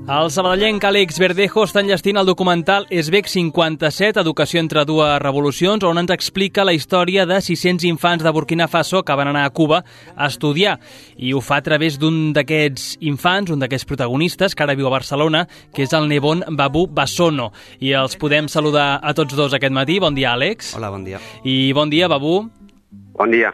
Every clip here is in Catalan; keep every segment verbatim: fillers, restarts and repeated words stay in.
El sabadellenc Àlex Verdejo està enllestint el documental Esbek cinquanta-set, Educació entre dues revolucions, on ens explica la història de sis-cents infants de Burkina Faso que van anar a Cuba a estudiar. I ho fa a través d'un d'aquests infants, un d'aquests protagonistes, que ara viu a Barcelona, que és el Nebon Babou Bassono. I els podem saludar a tots dos aquest matí. Bon dia, Àlex. Hola, bon dia. I bon dia, Babou. Bon dia.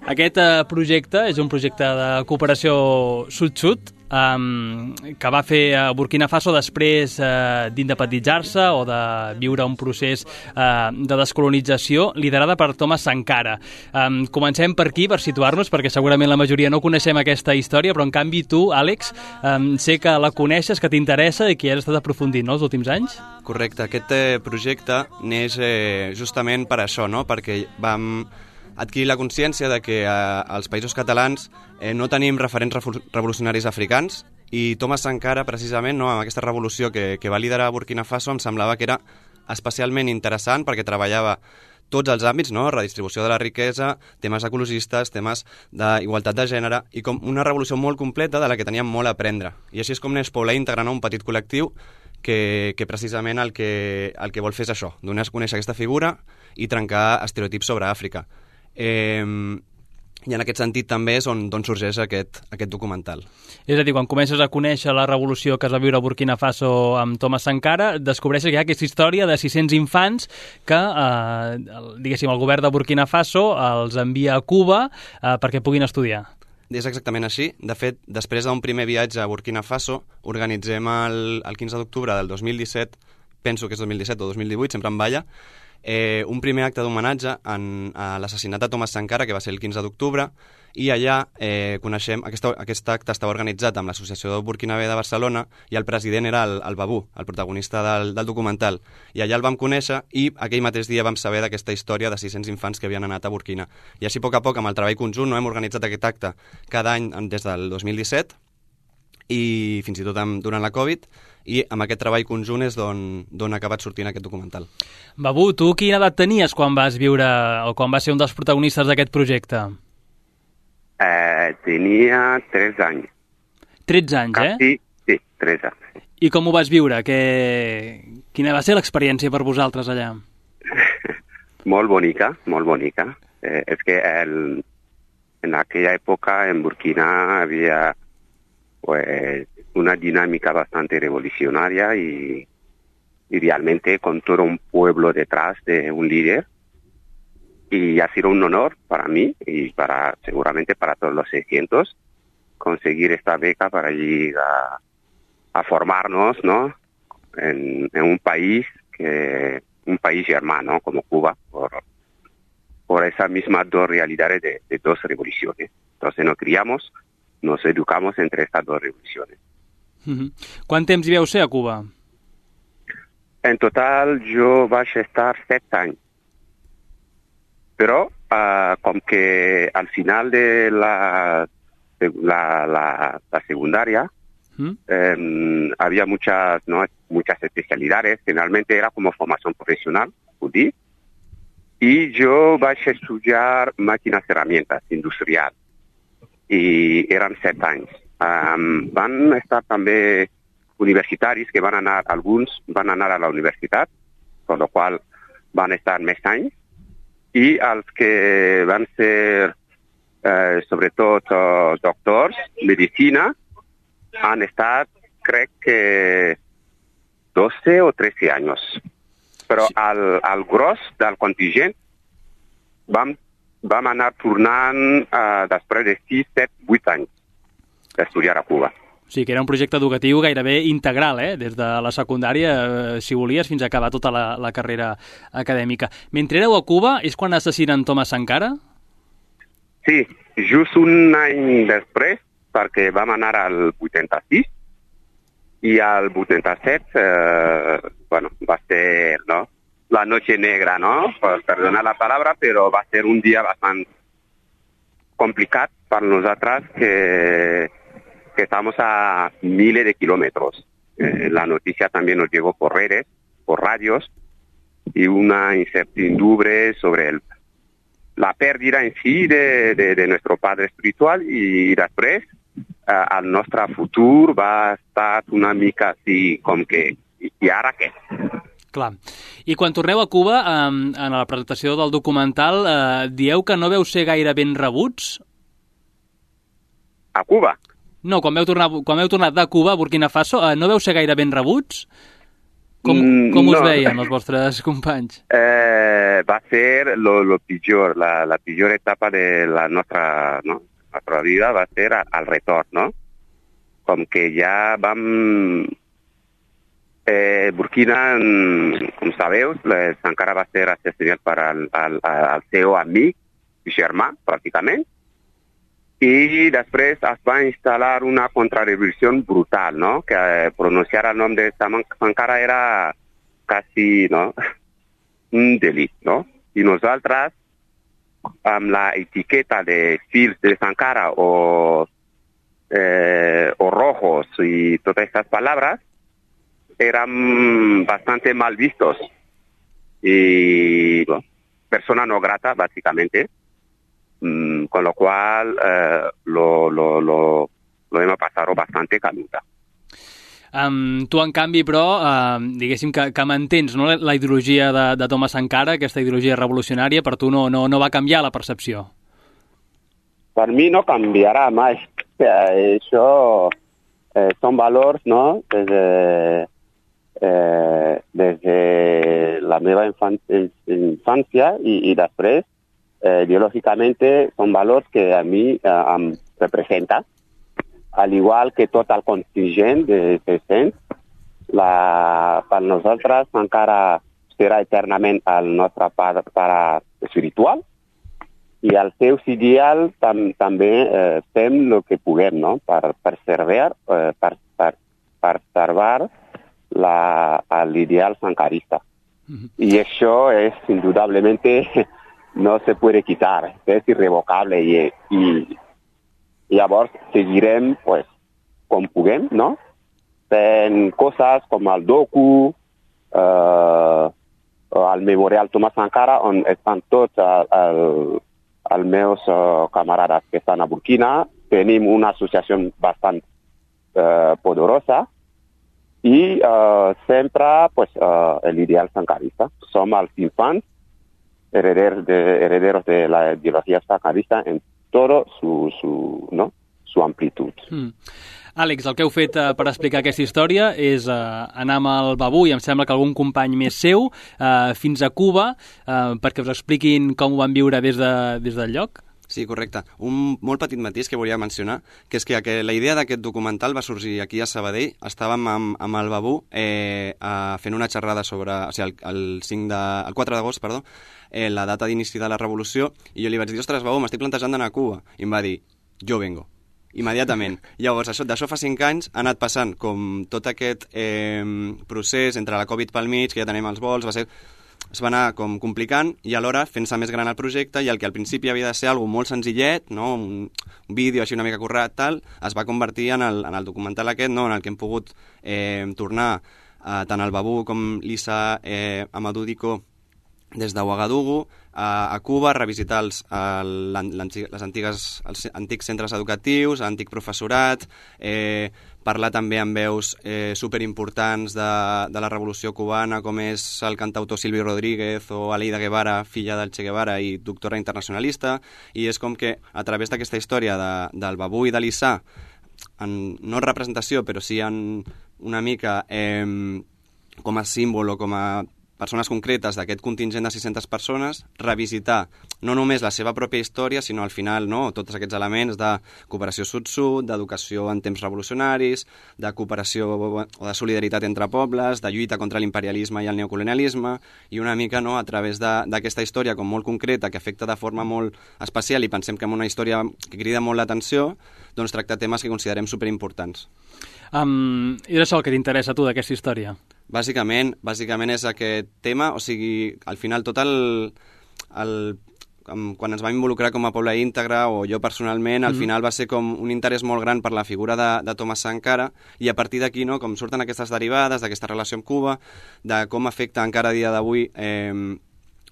Aquest eh, projecte és un projecte de cooperació sud-sud, Um, que va fer a Burkina Faso després uh, d'independitzar-se o de viure un procés uh, de descolonització liderada per Thomas Sankara. Um, comencem per aquí, per situar-nos, perquè segurament la majoria no coneixem aquesta història, però en canvi tu, Àlex, um, sé que la coneixes, que t'interessa i que has estat aprofundint, no?, els últims anys. Correcte, aquest eh, projecte neix eh, justament per això, no?, perquè vam adquirir la consciència de que eh, als països catalans eh, no tenim referents revolucionaris africans, i Thomas Sankara, precisament, no, amb aquesta revolució que, que va liderar Burkina Faso, em semblava que era especialment interessant perquè treballava tots els àmbits, no?, redistribució de la riquesa, temes ecologistes, temes d'igualtat de gènere, i com una revolució molt completa de la que teníem molt a aprendre. I així és com neix Paulé, integrant un petit col·lectiu que, que precisament el que, el que vol fer és això, donar a conèixer aquesta figura i trencar estereotips sobre Àfrica. Eh, i en aquest sentit també és on, on sorgeix aquest, aquest documental. És a dir, quan comences a conèixer la revolució que es va viure a Burkina Faso amb Thomas Sankara, descobreixes que hi ha aquesta història de sis-cents infants que, eh, el, diguéssim, el govern de Burkina Faso els envia a Cuba eh, perquè puguin estudiar. És exactament així. De fet, després d'un primer viatge a Burkina Faso, organitzem el, el quinze d'octubre del dos mil disset, penso que és dos mil disset o dos mil divuit, sempre em balla, Eh, un primer acte d'homenatge a l'assassinat de Thomas Sankara, que va ser el quinze d'octubre, i allà eh, coneixem, aquest, aquest acte estava organitzat amb l'Associació Burkinabé de Barcelona, i el president era el, el Babou, el protagonista del, del documental, i allà el vam conèixer, i aquell mateix dia vam saber d'aquesta història de sis-cents infants que havien anat a Burkina. I així, a poc a poc, amb el treball conjunt, no, hem organitzat aquest acte cada any des del dos mil disset, i fins i tot amb, durant la Covid, i amb aquest treball conjunt és d'on ha acabat sortint aquest documental. Babou, tu quina edat tenies quan vas viure o quan vas ser un dels protagonistes d'aquest projecte? Eh, tenia tres anys. tretze anys, eh? Sí, sí, tres anys. I com ho vas viure? Que... Quina va ser l'experiència per vosaltres allà? Molt bonica, molt bonica. Eh, és que el, en aquella època en Burkina havia pues, una dinámica bastante revolucionaria y, y realmente con todo un pueblo detrás de un líder. Y ha sido un honor para mí y para seguramente para todos los seiscientos conseguir esta beca para ir a, a formarnos, ¿no?, en, en un país que un país hermano como Cuba, por, por esas mismas dos realidades de, de dos revoluciones. Entonces nos criamos, nos educamos entre estas dos revoluciones. Uh-huh. Quant temps hi veu ser a Cuba? En total jo vaig estar set anys. Però uh, com que al final de la, de la, la, la secundaria ¿Mm? eh, había muchas, ¿no?, muchas especialidades, generalmente era como formación profesional, judí, y yo vaig a estudiar máquinas herramientas industrial, y eran set anys. Um, van estar també universitaris que van anar, alguns van anar a la universitat, per la qual van estar més anys, i els que van ser, eh, sobretot, uh, doctors, medicina, han estat, crec que, doce o trece anys. Però sí. al, al gros del contingent vam, vam anar tornant uh, després de sis, set, vuit anys d'estudiar a Cuba. O sigui que era un projecte educatiu gairebé integral, eh? Des de la secundària, eh, si volies, fins a acabar tota la, la carrera acadèmica. Mentre éreu a Cuba, és quan assassinen Thomas Sankara? Sí, just un any després, perquè vam anar al vuitanta-sis, i al vuitanta-set, eh, bueno, va ser, no?, la noche negra, ¿no? Per perdonar la palabra, però va ser un dia bastant complicat per nosaltres que que estamos a miles de kilómetros. Eh, la noticia también nos llegó por redes, por radios, y una incertidumbre sobre el, la pérdida en sí de, de, de nuestro padre espiritual, y después eh, el nostre futur va estar una mica així com que i, i ara què? Clar. I quan torneu a Cuba, eh, en la presentació del documental, eh, dieu que no veu ser gaire ben rebuts? A Cuba? No, quan veu, tornar, quan veu tornat de Cuba a Burkina Faso, eh, no veu ser gaire ben rebuts? Com, com us no. veien els vostres companys? Eh, va ser lo, lo pitjor, la, la pitjor etapa de la nostra, no? la nostra vida va ser al retorn, no? Com que ja vam... Eh, Burkina, com sabeu, Sankara va ser assassinat per al, al, al seu amic i germà, pràcticament, i després es va instal·lar una contrarrevolució brutal, no? Que eh, pronunciar el nom de Sankara era quasi, no? un delit, no? I nosaltres, amb la etiqueta de fils de Sankara o, eh, o rojos y todas estas palabras, eran bastante mal vistos y bueno, persona no grata, básicamente, mm, con lo cual eh, lo, lo, lo, lo hemos pasado bastante canuta. Um, tu, en canvi, però, uh, diguéssim que, que mantens, no, la ideologia de, de Thomas Sankara, aquesta ideologia revolucionària, per tu no, no, no va canviar la percepció? Per mi no canviarà mai. Això eh, són valors, no?, des de... Eh, des de la meva infància i, i després, eh, ideològicament, són valors que a mi eh, em representa, al igual que tot el contingent de tres-cents. La, per nosaltres encara serà eternament el nostre pare, pare espiritual i els seus ideals tam, també eh, fem el que puguem, no?, per preservar, eh, per, per, per preservar La, l'ideal sankarista. Uh-huh. Y eso es indudablemente no se puede quitar, es irrevocable y, y, y llavors seguirem pues com puguem, no? En cosas com el docu, eh, el memorial Thomas Sankara, on estan tots els, els meus uh, camarades que estan a Burkina. Tenim una associació bastant uh, poderosa y uh, sempre pues, uh, el ideal sankarista. Som els infants herederos de, herederos de la ideología sankarista en todo su, su, ¿no? su amplitud. Mm. Àlex, el que heu fet uh, per explicar aquesta història és uh, anar amb el Babú i em sembla que algun company més seu uh, fins a Cuba uh, perquè us expliquin com ho van viure des, de, des del lloc. Sí, correcte. Un molt petit matís que volia mencionar, que és que, que la idea d'aquest documental va sorgir aquí a Sabadell. Estàvem amb, amb el Babú eh, a, fent una xerrada sobre, o sigui, el, el, cinc de, el quatre d'agost, perdó, eh, la data d'inici de la revolució, i jo li vaig dir, ostres, Babú, m'estic plantejant d'anar a Cuba. I em va dir, jo vengo. Immediatament. Llavors, això, d'això fa cinc anys ha anat passant com tot aquest eh, procés entre la Covid pel mig, que ja tenim els vols, va ser... es va anar com complicant i alhora fent-se més gran el projecte i el que al principi havia de ser algo molt senzillet, no? un, un vídeo així una mica currat, tal, es va convertir en el, en el documental aquest, no? En el que hem pogut eh, tornar eh, tant el Babú com l'Issa eh, Amadou Dicko des de Ouagadougou a, a Cuba, revisitar els, el, les antigues, els antics centres educatius, l'antic professorat, eh, parlar també amb veus eh, superimportants de, de la revolució cubana, com és el cantautor Silvio Rodríguez o Aleida Guevara, filla del Che Guevara i doctora internacionalista, i és com que a través d'aquesta història de, del Babú i de l'Issa, en, no representació, però sí en una mica eh, com a símbol o com a persones concretes d'aquest contingent de sis-centes persones, revisitar no només la seva pròpia història, sinó al final no, tots aquests elements de cooperació sud-sud, d'educació en temps revolucionaris, de cooperació o de solidaritat entre pobles, de lluita contra l'imperialisme i el neocolonialisme, i una mica no, a través d'aquesta història com molt concreta, que afecta de forma molt especial, i pensem que és una història que crida molt l'atenció, doncs tracta temes que considerem superimportants. Um, I és això el que t'interessa a tu d'aquesta història? Bàsicament, bàsicament és aquest tema, o sigui, al final tot el, el quan ens vam involucrar com a poble íntegre, o jo personalment, al mm-hmm. final va ser com un interès molt gran per la figura de, de Thomas Sankara, i a partir d'aquí, no, com surten aquestes derivades d'aquesta relació amb Cuba, de com afecta encara a dia d'avui eh,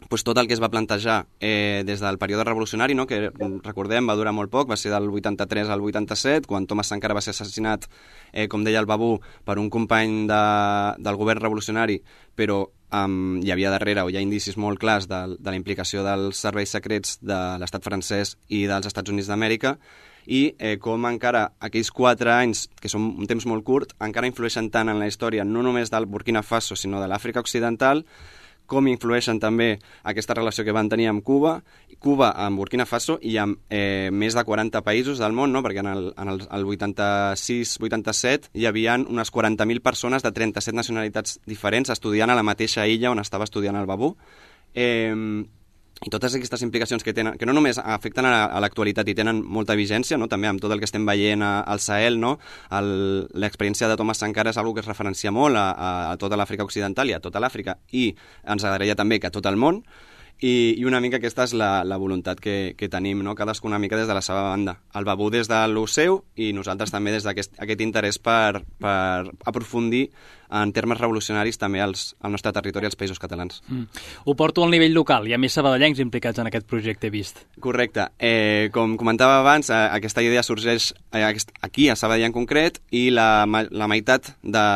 pues, tot el que es va plantejar eh, des del període revolucionari, no? Que recordem va durar molt poc, va ser del vuitanta-tres al vuitanta-set, quan Thomas Sankara va ser assassinat, eh, com deia el Babú, per un company de, del govern revolucionari, però um, hi havia darrere, o hi ha indicis molt clars de, de la implicació dels serveis secrets de l'estat francès i dels Estats Units d'Amèrica, i eh, com encara aquells quatre anys, que són un temps molt curt, encara influeixen tant en la història, no només del Burkina Faso, sinó de l'Àfrica Occidental, com influeixen també aquesta relació que van tenir amb Cuba, Cuba amb Burkina Faso i amb eh, més de quaranta països del món, no? Perquè en el, en el, el vuitanta-sis vuitanta-set hi havia unes quaranta mil persones de trenta-set nacionalitats diferents estudiant a la mateixa illa on estava estudiant el Babú. Eh, I totes aquestes implicacions que tenen, que no només afecten a l'actualitat i tenen molta vigència, no? També amb tot el que estem veient a, al Sahel, no? L'experiència de Thomas Sankara és una que es referencia molt a, a tota l'Àfrica Occidental i a tota l'Àfrica, i ens agradaria també que a tot el món, i, i una mica aquesta és la, la voluntat que, que tenim, no? Cadascú una mica des de la seva banda. El Babú des de lo seu i nosaltres també des d'aquest aquest interès per, per aprofundir en termes revolucionaris també als, al nostre territori, als països catalans. Mm. Ho porto al nivell local, hi ha més sabadellencs implicats en aquest projecte, he vist. Correcte. Eh, com comentava abans, eh, aquesta idea sorgeix eh, aquí, a Sabadell en concret, i la, la meitat de,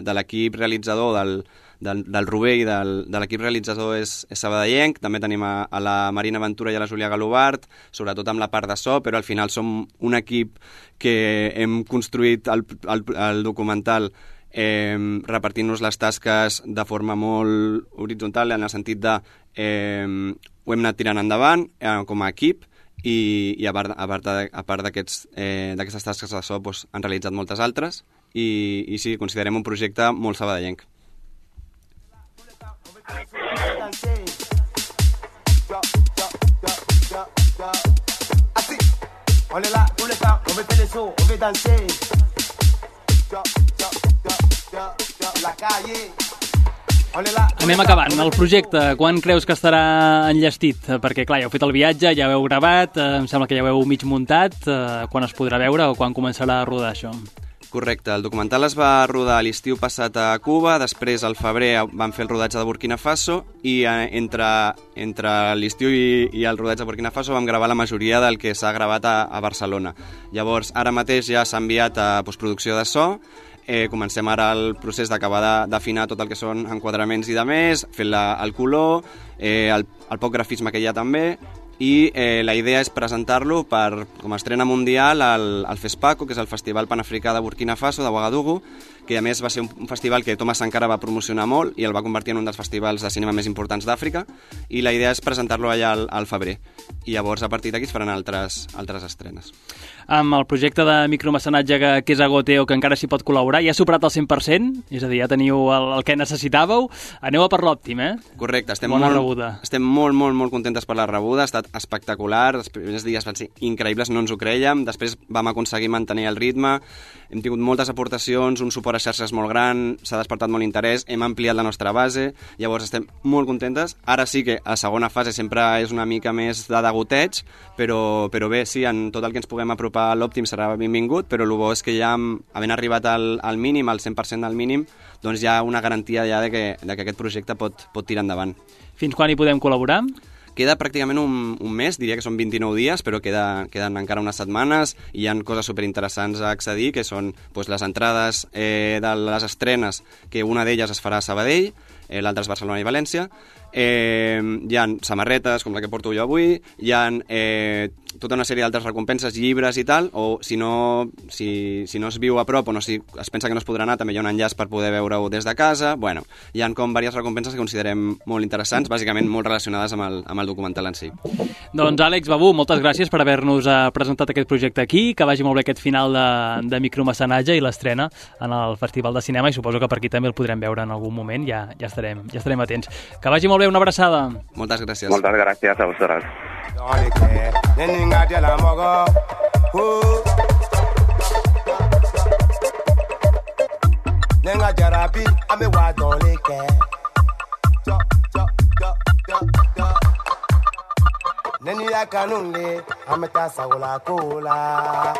de l'equip realitzador del, del, del Rubé i del, de l'equip realitzador és, és sabadellenc. També tenim a, a la Marina Ventura i a la Júlia Galobart, sobretot amb la part de so, però al final som un equip que hem construït el, el, el documental Eh, repartint-nos les tasques de forma molt horitzontal, en el sentit de eh, ho hem anat tirant endavant eh, com a equip, i, i a part, a part, de, a part d'aquestes eh, tasques de so doncs, han realitzat moltes altres, i, i sí, considerem un projecte molt sabadellenc. On est là, on est là, on met les sons, on veut danser. Anem acabant. El projecte, quan creus que estarà enllestit? Perquè, clar, ja heu fet el viatge, ja ho heu gravat, eh, em sembla que ja ho heu mig muntat. Eh, quan es podrà veure o quan començarà a rodar això? Correcte. El documental es va rodar l'estiu passat a Cuba, després al febrer van fer el rodatge de Burkina Faso, i eh, entre, entre l'estiu i, i el rodatge de Burkina Faso vam gravar la majoria del que s'ha gravat a, a Barcelona. Llavors, ara mateix ja s'ha enviat a postproducció de so. Eh, comencem ara el procés d'acabar d'afinar tot el que són enquadraments i de més, fent la, el color, eh, el, el poc grafisme que hi ha també, i eh, la idea és presentar-lo per, com a estrena mundial al, al FESPACO, que és el Festival Panafricà de Burkina Faso, de Ouagadougou, que a més va ser un, un festival que Thomas Sankara va promocionar molt i el va convertir en un dels festivals de cinema més importants d'Àfrica, i la idea és presentar-lo allà al, al febrer, i llavors a partir d'aquí es faran altres, altres estrenes. Amb el projecte de micromecenatge que, que és a Goteo, que encara s'hi pot col·laborar, ja ha superat el cent per cent? És a dir, ja teniu el, el que necessitàveu? Aneu a per l'òptim, eh? Correcte. Estem Bona molt, rebuda. Estem molt, molt, molt contentes per la rebuda. Ha estat espectacular. Els primers dies van ser increïbles, no ens ho creiem. Després vam aconseguir mantenir el ritme. Hem tingut moltes aportacions, un suport a xarxes molt gran, s'ha despertat molt interès, hem ampliat la nostra base, llavors estem molt contentes. Ara sí que a segona fase sempre és una mica més de degoteig, però, però bé, sí, en tot el que ens puguem apropar a l'òptim serà benvingut, però el bo és que ja, havent arribat al, al mínim, al cent per cent del mínim, doncs hi ha una garantia ja de que, de que aquest projecte pot, pot tirar endavant. Fins quan hi podem col·laborar? Queda pràcticament un, un mes, diria que són vint-i-nou dies, però queda, queden encara unes setmanes, i hi ha coses superinteressants a accedir, que són doncs, les entrades eh, de les estrenes, que una d'elles es farà a Sabadell, eh, l'altra és Barcelona i València. Eh, hi ha samarretes, com la que porto jo avui, hi ha eh, tota una sèrie d'altres recompenses, llibres i tal, o si no, si, si no es viu a prop o no, si es pensa que no es podrà anar, també hi ha un enllaç per poder veure-ho des de casa. Bueno, hi ha com diverses recompenses que considerem molt interessants, bàsicament molt relacionades amb el, amb el documental en si. Doncs Àlex Babú, moltes gràcies per haver-nos presentat aquest projecte aquí, que vagi molt bé aquest final de, de micromecenatge i l'estrena en el Festival de Cinema, i suposo que per aquí també el podrem veure en algun moment, ja, ja, estarem, ja estarem atents. Que vagi molt bé, una abraçada. Moltes gràcies. Moltes gràcies a vosaltres. Nenga jarabi ame wa dole ke jo jo jo jo jo neni ya kanunle ame ta sawla kola